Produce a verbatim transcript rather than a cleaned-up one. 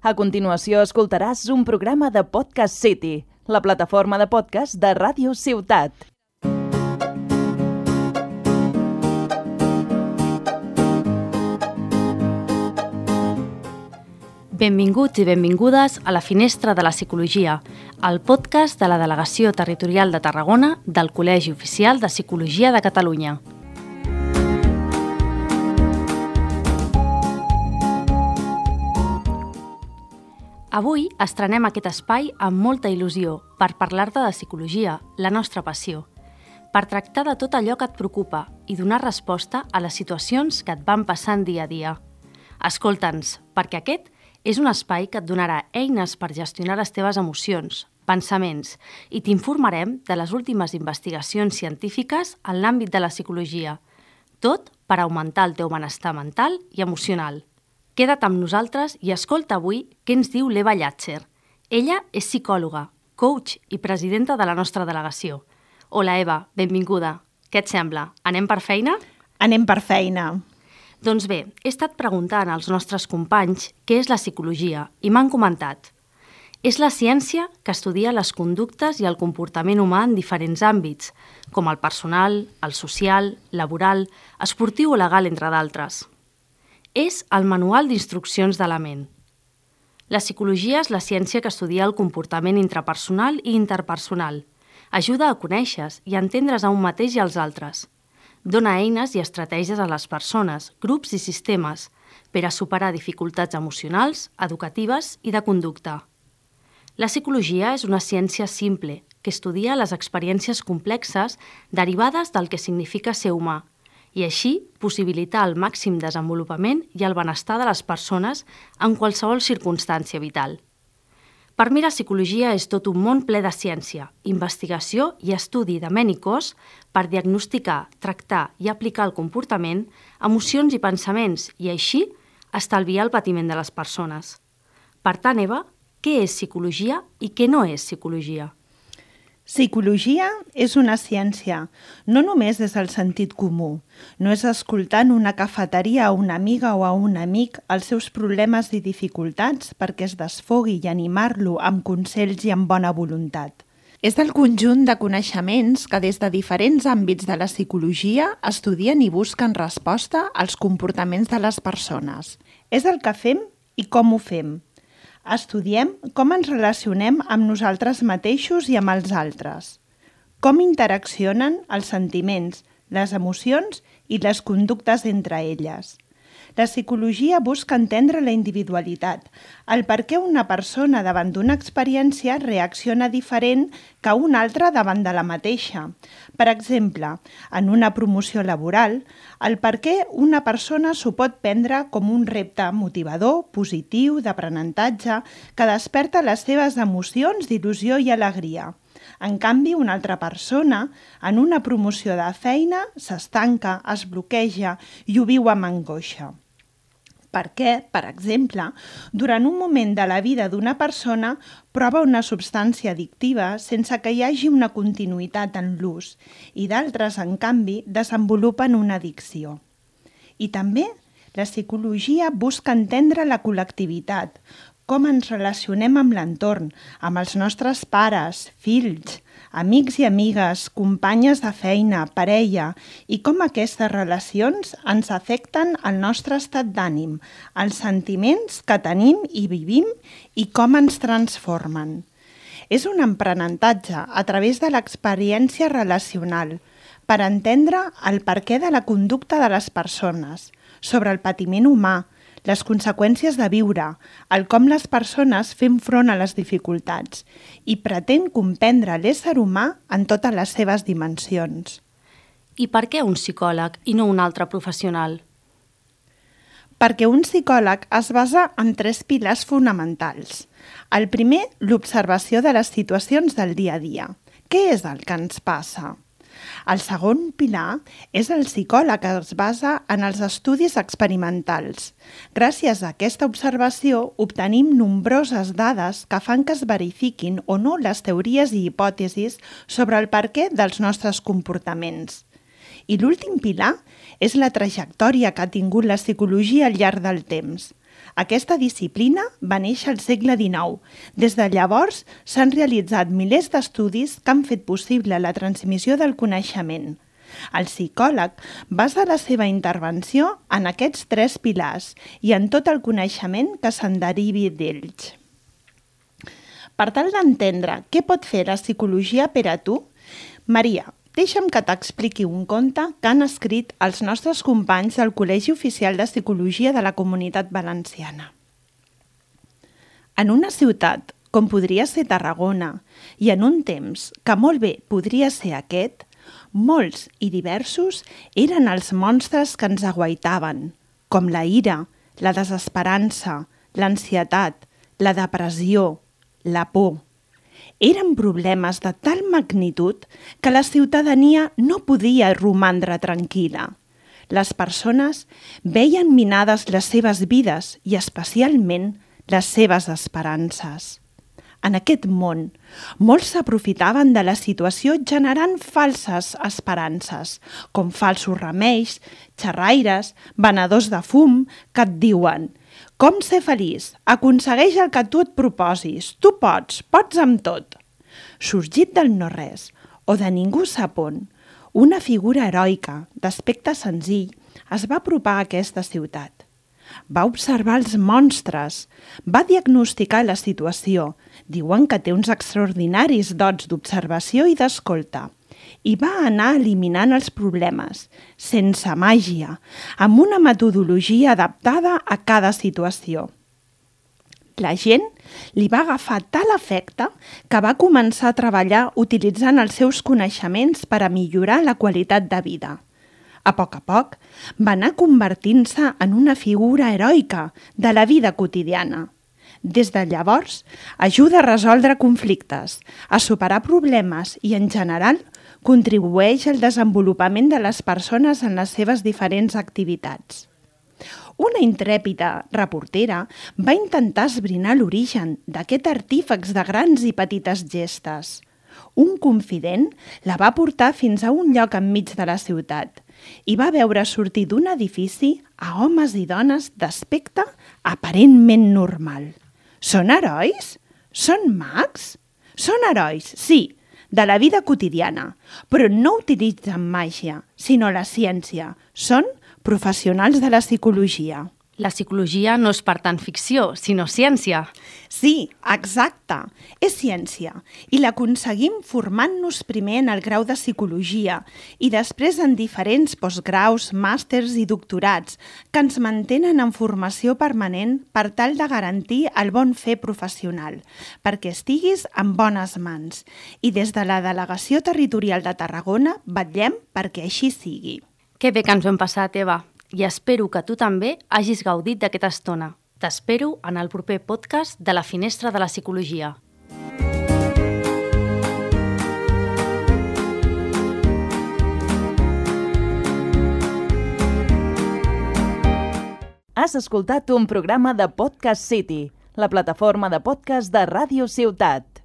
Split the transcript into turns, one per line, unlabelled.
A continuació escoltaràs un programa de Podcast City, la plataforma de podcast de Ràdio Ciutat.
Benvinguts i benvingudes a la Finestra de la Psicologia, el podcast de la Delegació Territorial de Tarragona del Col·legi Oficial de Psicologia de Catalunya. Avui estrenem aquest espai amb molta il·lusió per parlar-te de psicologia, la nostra passió, per tractar de tot allò que et preocupa i donar resposta a les situacions que et van passant dia a dia. Escolta'ns, perquè aquest és un espai que et donarà eines per gestionar les teves emocions, pensaments i t'informarem de les últimes investigacions científiques en l'àmbit de la psicologia, tot per augmentar el teu benestar mental i emocional. Queda't amb nosaltres i escolta avui què ens diu l'Eva Llàtzer. Ella és psicòloga, coach i presidenta de la nostra delegació. Hola, Eva, benvinguda. Què et sembla? Anem per feina?
Anem per feina.
Doncs bé, he estat preguntant als nostres companys què és la psicologia i m'han comentat. És la ciència que estudia les conductes i el comportament humà en diferents àmbits, com el personal, el social, laboral, esportiu o legal, entre d'altres. És el manual d'instruccions de la ment. La psicologia és la ciència que estudia el comportament intrapersonal i interpersonal. Ajuda a conèixer i a entendre's a un mateix i als altres. Dona eines i estratègies a les persones, grups i sistemes per a superar dificultats emocionals, educatives i de conducta. La psicologia és una ciència simple que estudia les experiències complexes derivades del que significa ser humà i així possibilitar el màxim desenvolupament i el benestar de les persones en qualsevol circumstància vital. Per mi la psicologia és tot un món ple de ciència, investigació i estudi de ment i cos per diagnosticar, tractar i aplicar el comportament, emocions i pensaments i així estalviar el patiment de les persones. Per tant, Eva, què és psicologia i què no és psicologia?
Psicologia és una ciència, no només des del sentit comú. No és escoltant una cafeteria a una amiga o a un amic els seus problemes i dificultats perquè es desfogui i animar-lo amb consells i amb bona voluntat. És el conjunt de coneixements que des de diferents àmbits de la psicologia estudien i busquen resposta als comportaments de les persones. És el que fem i com ho fem. Estudiem com ens relacionem amb nosaltres mateixos i amb els altres, com interaccionen els sentiments, les emocions i les conductes entre elles. La psicologia busca entendre la individualitat, el per què una persona davant d'una experiència reacciona diferent que una altra davant de la mateixa. Per exemple, en una promoció laboral, el per què una persona s'ho pot prendre com un repte motivador, positiu, d'aprenentatge, que desperta les seves emocions d'il·lusió i alegria. En canvi, una altra persona, en una promoció de feina, s'estanca, es bloqueja i ho viu amb angoixa. Perquè, per exemple, durant un moment de la vida d'una persona prova una substància addictiva sense que hi hagi una continuïtat en l'ús i d'altres, en canvi, desenvolupen una addicció. I també la psicologia busca entendre la col·lectivitat, com ens relacionem amb l'entorn, amb els nostres pares, fills, amics i amigues, companyes de feina, parella, i com aquestes relacions ens afecten el nostre estat d'ànim, els sentiments que tenim i vivim i com ens transformen. És un aprenentatge a través de l'experiència relacional per entendre el perquè de la conducta de les persones, sobre el patiment humà, les conseqüències de viure, el com les persones fem front a les dificultats i pretén comprendre l'ésser humà en totes les seves dimensions.
I per què un psicòleg i no un altre professional?
Perquè un psicòleg es basa en tres pilars fonamentals. El primer, l'observació de les situacions del dia a dia. Què és el que ens passa? El segon pilar és el psicòleg que es basa en els estudis experimentals. Gràcies a aquesta observació obtenim nombroses dades que fan que es verifiquin o no les teories i hipòtesis sobre el perquè dels nostres comportaments. I l'últim pilar és la trajectòria que ha tingut la psicologia al llarg del temps. Aquesta disciplina va néixer al segle dinou. Des de llavors s'han realitzat milers d'estudis que han fet possible la transmissió del coneixement. El psicòleg basa la seva intervenció en aquests tres pilars i en tot el coneixement que se'n derivi d'ells. Per tal d'entendre què pot fer la psicologia per a tu, Maria, deixa'm que t'expliqui un conte que han escrit els nostres companys del Col·legi Oficial de Psicologia de la Comunitat Valenciana. En una ciutat, com podria ser Tarragona, i en un temps que molt bé podria ser aquest, molts i diversos eren els monstres que ens aguaitaven, com la ira, la desesperança, l'ansietat, la depressió, la por. Eren problemes de tal magnitud que la ciutadania no podia romandre tranquil·la. Les persones veien minades les seves vides i especialment les seves esperances. En aquest món, molts s'aprofitaven de la situació generant falses esperances, com falsos remeis, xerraires, venedors de fum, que et diuen «Com ser feliç? Aconsegueix el que tu et proposis. Tu pots, pots amb tot». Sorgit del no-res, o de ningú sap on, una figura heroica, d'aspecte senzill, es va apropar a aquesta ciutat. Va observar els monstres, va diagnosticar la situació, diuen que té uns extraordinaris dots d'observació i d'escolta, i va anar eliminant els problemes, sense màgia, amb una metodologia adaptada a cada situació. La gent li va agafar tal efecte que va començar a treballar utilitzant els seus coneixements per a millorar la qualitat de vida. A poc a poc, va anar convertint-se en una figura heroica de la vida quotidiana. Des de llavors, ajuda a resoldre conflictes, a superar problemes i, en general, contribueix al desenvolupament de les persones en les seves diferents activitats. Una intrèpida reportera va intentar esbrinar l'origen d'aquest artífex de grans i petites gestes. Un confident la va portar fins a un lloc enmig de la ciutat i va veure sortir d'un edifici a homes i dones d'aspecte aparentment normal. Són herois? Són mags? Són herois, sí, de la vida quotidiana, però no utilitzen màgia, sinó la ciència. Són professionals de la psicologia.
La psicologia no és per tant ficció, sinó ciència.
Sí, exacte. És ciència i l'aconseguim formant-nos primer en el grau de psicologia i després en diferents postgraus, màsters i doctorats que ens mantenen en formació permanent per tal de garantir el bon fer professional, perquè estiguis en bones mans. I des de la Delegació Territorial de Tarragona vetllem perquè així sigui.
Que bé que ens ho hem passat, Eva. I espero que tu també hagis gaudit d'aquesta estona. T'espero en el proper podcast de la Finestra de la Psicologia.
Has escoltat un programa de Podcast City, la plataforma de podcast de Ràdio Ciutat.